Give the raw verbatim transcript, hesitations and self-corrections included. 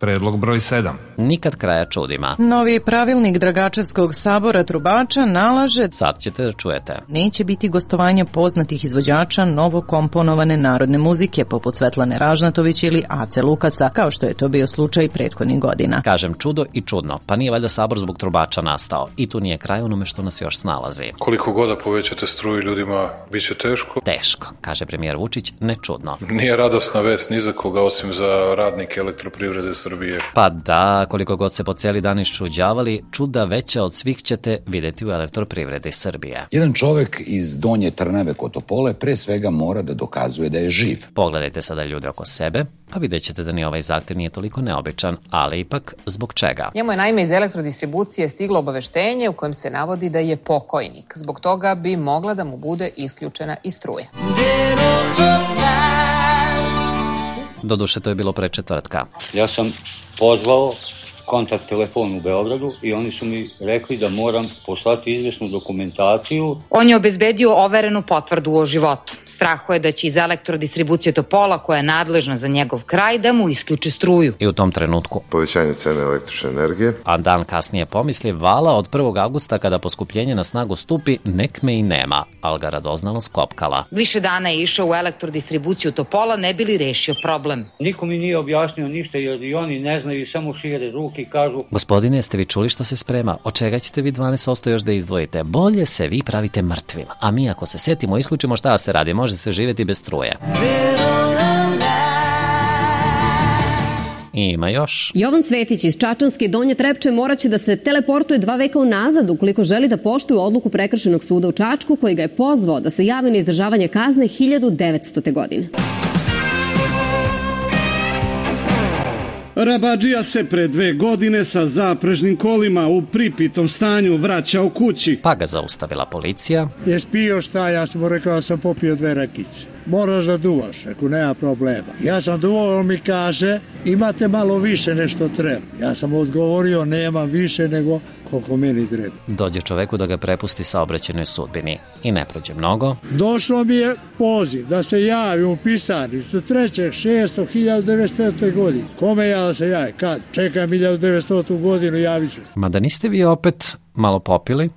Predlog broj sedam. Nikad kraja čudima. Novi pravilnik Dragačevskog sabora trubača nalaže, sad ćete da čujete, neće biti gostovanja poznatih izvođača novo komponovane narodne muzike poput Svetlane Ražnatović ili Ace Lukasa, kao što je to bio slučaj prethodnih godina. Kažem čudo i čudno, pa nije valjda sabor zbog trubača nastao i tu nije kraj onome što nas još snalazi. Koliko god da povećate struju ljudima, bit će teško. Teško, kaže premijer Vučić, ne čudno. Nije radosna vest ni za koga osim za radnike Elektroprivrede Srbije. Pa da, koliko god se po cijeli dan iščuđavali, čuda veća od svih ćete vidjeti u Elektroprivredi Srbije. Jedan čovek iz Donje Trnave kod Topole pre svega mora da dokazuje da je živ. Pogledajte sada ljude oko sebe, pa vidjet ćete da ni ovaj zahtev nije toliko neobičan, ali ipak zbog čega? Njemu je naime iz elektrodistribucije stiglo obaveštenje u kojem se navodi da je pokojnik. Zbog toga bi mogla da mu bude isključena i struje. Doduše, to je bilo pre četvrtka. Ja sam pozvao kontakt telefon u Beogradu i oni su mi rekli da moram poslati izvesnu dokumentaciju. On je obezbedio overenu potvrdu o životu. Strahuje da će iz elektrodistribucije Topola, koja je nadležna za njegov kraj, da mu isključe struju. I u tom trenutku povećanje cene električne energije. A dan kasnije pomisli vala od prvog avgusta kada poskupljenje na snagu stupi, nek me i nema, ali ga radoznalo skopkala. Više dana je išao u elektrodistribuciju Topola, ne bi li rešio problem. Niko mi nije objasnio ništa jer i oni ne znaju i samo šire ruke i kažu: Gospodine, jeste vi čuli šta se sprema? Od čega ćete vi dvanaest posto još da izdvojite? Bolje se vi pravite mrtvim. A mi ako se setimo, isključimo šta se radi, može se živjeti bez struje. Ima još. Jovan Cvetić iz Čačanske Donje Trepče moraće da se teleportuje dva veka unazad ukoliko želi da poštuje odluku Prekršajnog suda u Čačku koji ga je pozvao da se javi na izdržavanje kazne hiljadu devetstote. godine. Rabadžija se pre dve godine sa zaprežnim kolima u pripitom stanju vraća u kući. Pa ga zaustavila policija. Jes pio šta? Ja sam mu rekao da sam popio dve rakice. Moraš da duvaš, ako nema problema. Ja sam duvao, on mi kaže, imate malo više nešto treba. Ja sam odgovorio, nemam više nego koliko meni treba. Dođe čoveku da ga prepusti saobraćajnoj sudbini i ne prođe mnogo. Došlo mi je poziv da se javi u pisarnicu trećeg šestog hiljadu devetstote. godine. Kome ja da se javi? Kad? Čekam hiljadu devetstotu. godinu, javit ću. Mada niste vi opet malo popili?